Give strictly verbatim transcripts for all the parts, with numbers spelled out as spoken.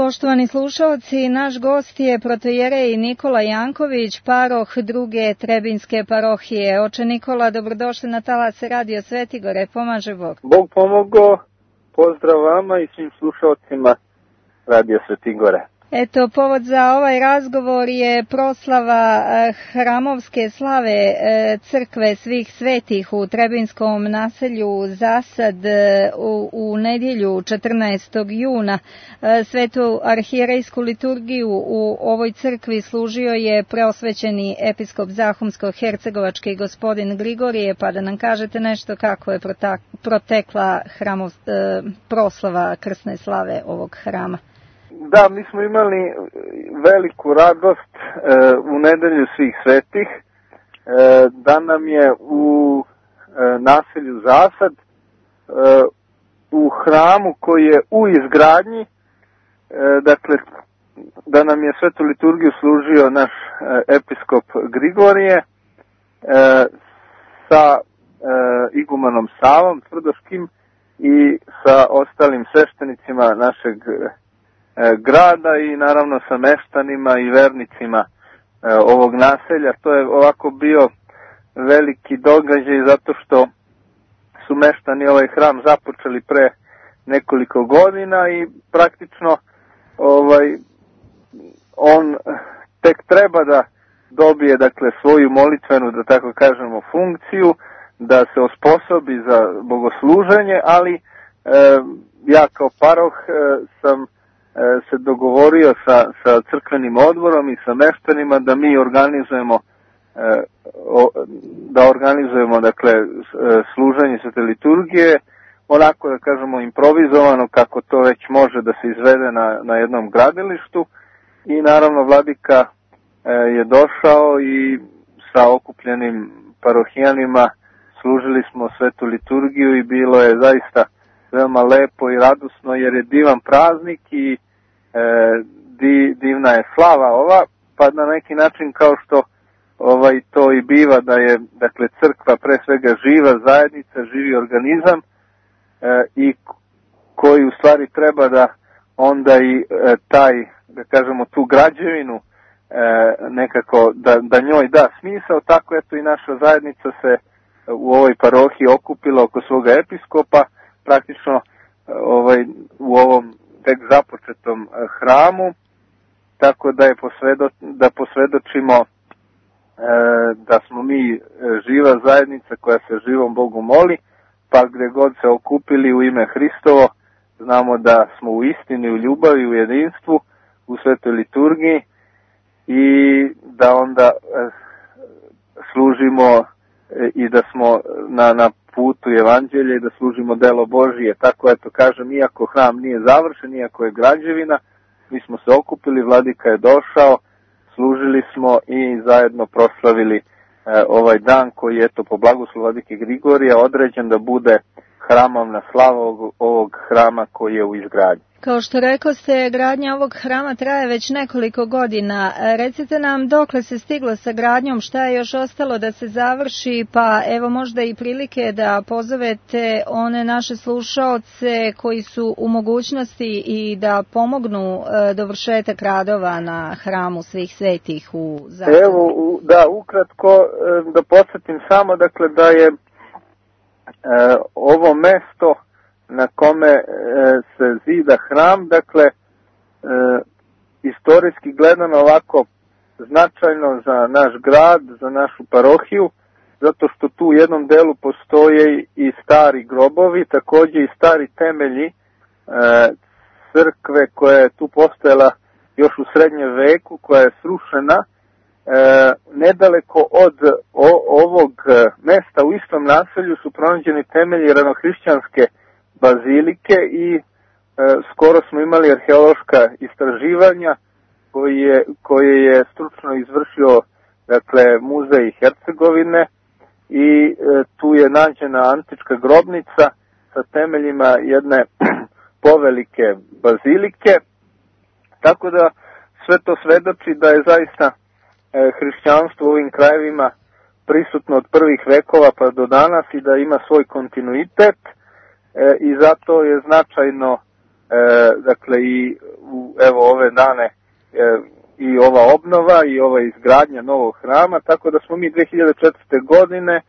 Poštovani slušalci, naš gost je protojerej Nikola Janković, paroh druge Trebinske parohije. Oče Nikola, dobrodošli na talase Radio Svetigore, pomaže Bog. Bog pomogo, pozdrav vama i svim slušalcima Radio Svetigore. Eto, povod za ovaj razgovor je proslava hramovske slave crkve svih svetih u Trebinskom naselju Zasad u, u nedjelju četrnaestog juna. Svetu arhijerejsku liturgiju u ovoj crkvi služio je preosvećeni episkop Zahumsko-hercegovački gospodin Grigorije, pa da nam kažete nešto kako je protekla hramov, proslava krsne slave ovog hrama. Da, mi smo imali veliku radost e, u nedelju svih svetih, e, da nam je u e, naselju Zasad, e, u hramu koji je u izgradnji, e, dakle, da nam je svetu liturgiju služio naš e, episkop Grigorije e, sa e, igumanom Savom Tvrdoškim i sa ostalim sveštenicima našeg grada i naravno sa meštanima i vernicima e, ovog naselja. To je ovako bio veliki događaj zato što su meštani ovaj hram započeli pre nekoliko godina i praktično ovaj on tek treba da dobije dakle svoju molitvenu, da tako kažemo, funkciju, da se osposobi za bogosluženje, ali e, ja kao paroh e, sam se dogovorio sa, sa crkvenim odborom i sa meštanima da mi organizujemo da organizujemo dakle služenje svete liturgije onako da kažemo improvizovano kako to već može da se izvede na, na jednom gradilištu i naravno vladika je došao i sa okupljenim parohijanima služili smo svetu liturgiju i bilo je zaista veoma lepo i radosno jer je divan praznik i e, di, divna je slava ova, pa na neki način kao što ovaj to i biva da je dakle crkva pre svega živa zajednica, živi organizam e, i koji u stvari treba da onda i e, taj, da kažemo, tu građevinu e, nekako da, da njoj da smisao, tako eto i naša zajednica se u ovoj parohiji okupila oko svoga episkopa, praktično ovaj, u ovom tek započetom hramu, tako da je posvedo, da posvedočimo e, da smo mi živa zajednica koja se živom Bogu moli, pa gdje god se okupili u ime Hristovo, znamo da smo u istini, u ljubavi, u jedinstvu, u svetoj liturgiji i da onda e, služimo i da smo na, na putu evanđelja i da služimo delo Božije. Tako eto kažem, iako hram nije završen, iako je građevina, mi smo se okupili, vladika je došao, služili smo i zajedno proslavili e, ovaj dan koji je eto po blagoslovu vladike Grigorija određen da bude hramovna slava ovog, ovog hrama koji je u izgradnji. Kao što rekoste, gradnja ovog hrama traje već nekoliko godina. Recite nam dokle se stiglo sa gradnjom, šta je još ostalo da se završi, pa evo možda i prilike da pozovete one naše slušaoce koji su u mogućnosti i da pomognu dovršetak radova na hramu svih svetih u Zasadu. Evo, da, ukratko da podsjetim samo, dakle, da je e, ovo mesto na kome e, se zida hram, dakle, e, istorijski gledano ovako značajno za naš grad, za našu parohiju, zato što tu u jednom delu postoje i stari grobovi, također i stari temelji e, crkve koja je tu postojala još u srednjem veku, koja je srušena, e, nedaleko od o, ovog mesta u istom naselju su pronađeni temelji ranohrišćanske bazilike i e, skoro smo imali arheološka istraživanja koji je, koje je stručno izvršio dakle muzej Hercegovine i e, tu je nađena antička grobnica sa temeljima jedne povelike bazilike, tako da sve to svedoči da je zaista e, hrišćanstvo u ovim krajevima prisutno od prvih vekova pa do danas i da ima svoj kontinuitet. E, i zato je značajno dakle i u, evo ove dane e, i ova obnova i ova izgradnja novog hrama, tako da smo mi dve hiljade četvrte godine e,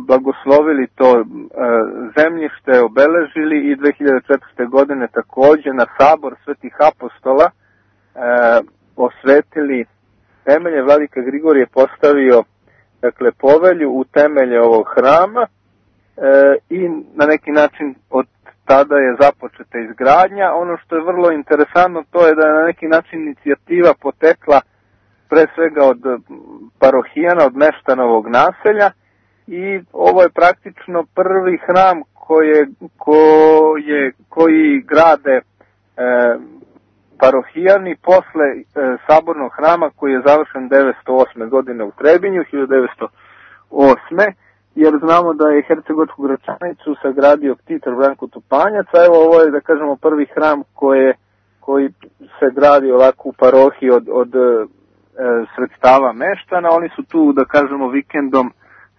blagoslovili to e, zemljište, obeležili i dve hiljade četvrte godine takođe na sabor Svetih apostola e, osvetili temelje. Vladika Grigorije postavio dakle povelju u temelje ovog hrama e, i na neki način od tada je započeta izgradnja. Ono što je vrlo interesantno to je da je na neki način inicijativa potekla pre svega od parohijana, od meštana ovog naselja i ovo je praktično prvi hram koje, koje, koji grade e, parohijani posle e, sabornog hrama koji je završen devetsto osme godine u Trebinju, hiljadu devetsto osme jer znamo da je Hercegovačku Gračanicu sagradio Ktitor Branko Tupanjac, a evo ovo je, da kažemo, prvi hram koje, koji se gradi ovako u parohiji od, od e, sredstava meštana. Oni su tu, da kažemo, vikendom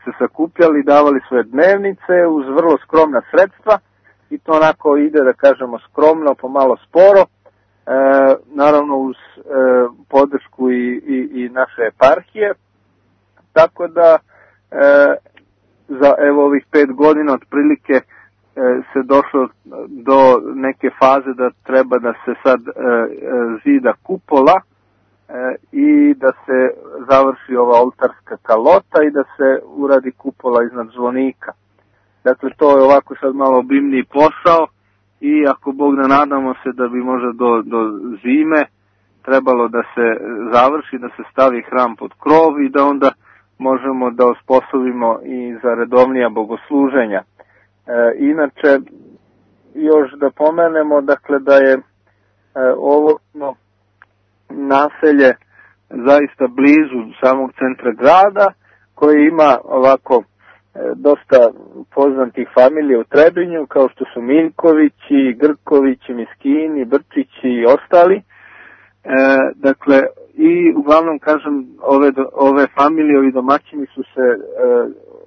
se sakupljali, davali svoje dnevnice uz vrlo skromna sredstva i to onako ide, da kažemo, skromno, pomalo sporo, e, naravno uz e, podršku i, i, i naše eparhije, tako da e, za evo ovih pet godina otprilike e, se došlo do neke faze da treba da se sad e, zida kupola e, i da se završi ova oltarska kalota i da se uradi kupola iznad zvonika. Dakle, to je ovako sad malo obimniji posao i ako Bog da nadamo se da bi možda do, do zime trebalo da se završi, da se stavi hram pod krov i da onda možemo da osposobimo i za redovnija bogosluženja. E, inače, još da pomenemo, dakle, da je e, ovo no, naselje zaista blizu samog centra grada, koji ima ovako e, dosta poznatih familija u Trebinju, kao što su Miljkovići, Grkovići, Miskini, Brčići i ostali. E, dakle, i uglavnom, kažem, ove, ove familije, ovi domaćini su se e,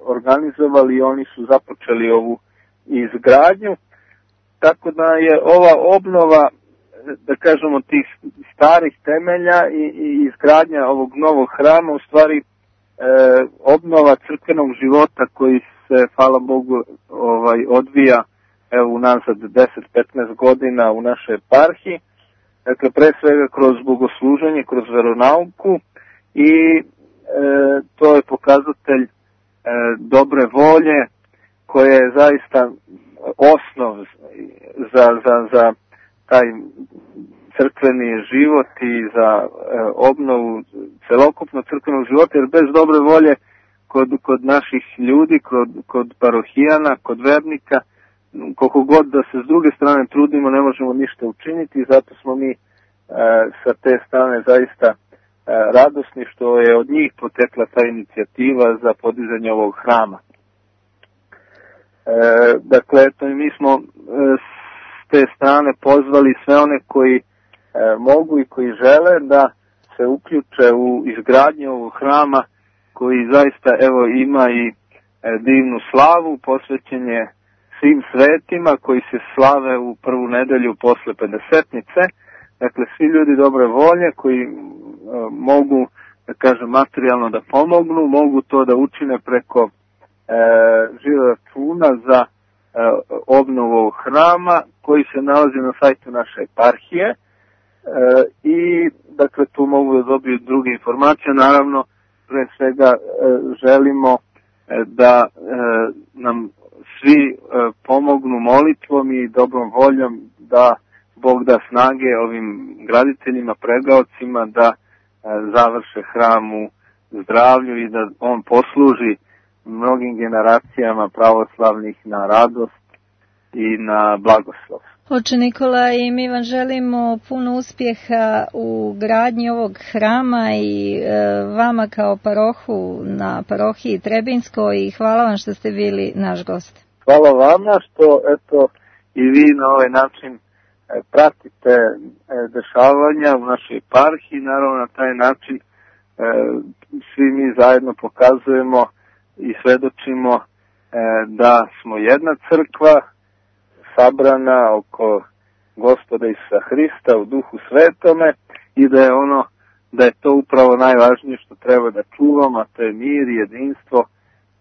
organizovali i oni su započeli ovu izgradnju, tako da je ova obnova, da kažemo, tih starih temelja i, i izgradnja ovog novog hrama u stvari e, obnova crkvenog života koji se, hvala Bogu, ovaj, odvija evo unazad deset do petnaest godina u našoj eparhiji. Dakle, pre svega kroz bogosluženje, kroz veronauku i e, to je pokazatelj e, dobre volje koja je zaista osnov za, za, za taj crkveni život i za e, obnovu celokupnog crkvenog života, jer bez dobre volje kod, kod naših ljudi, kod, kod parohijana, kod vernika, koliko god da se s druge strane trudimo, ne možemo ništa učiniti i zato smo mi e, sa te strane zaista e, radosni što je od njih potekla ta inicijativa za podizanje ovog hrama. E, dakle, eto, mi smo e, s te strane pozvali sve one koji e, mogu i koji žele da se uključe u izgradnju ovog hrama koji zaista evo ima i e, divnu slavu, posvećenje svim svetima koji se slave u prvu nedelju posle pedesetnice. Dakle, svi ljudi dobre volje koji e, mogu, da kažem, materijalno da pomognu, mogu to da učine preko e, žiro računa za e, obnovu ovog hrama koji se nalazi na sajtu naše eparhije e, i dakle tu mogu da dobiju druge informacije. Naravno, pre svega e, želimo e, da e, nam svi e, pomognu molitvom i dobrom voljom da Bog da snage ovim graditeljima, pregaocima da e, završe hram u zdravlju i da on posluži mnogim generacijama pravoslavnih na radost i na blagoslov. Oče Nikola, i mi vam želimo puno uspjeha u gradnji ovog hrama i e, vama kao parohu na parohiji Trebinskoj i hvala vam što ste bili naš gost. Hvala vama što eto i vi na ovaj način e, pratite e, dešavanja u našoj eparhiji. Naravno, na taj način e, svi mi zajedno pokazujemo i svedočimo e, da smo jedna crkva sabrana oko Gospoda Isusa Hrista u Duhu Svetome i da je ono, da je to upravo najvažnije što treba da čuvamo, a to je mir i jedinstvo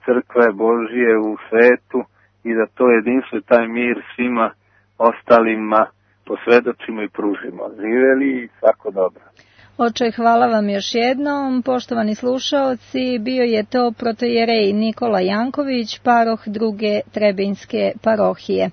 crkve Božije u svetu i da to jedinstvo i taj mir svima ostalima posvedočimo i pružimo. Živeli i svako dobro. Oče, hvala vam još jednom. Poštovani slušaoci, bio je to protojerej Nikola Janković, paroh druge Trebinjske parohije.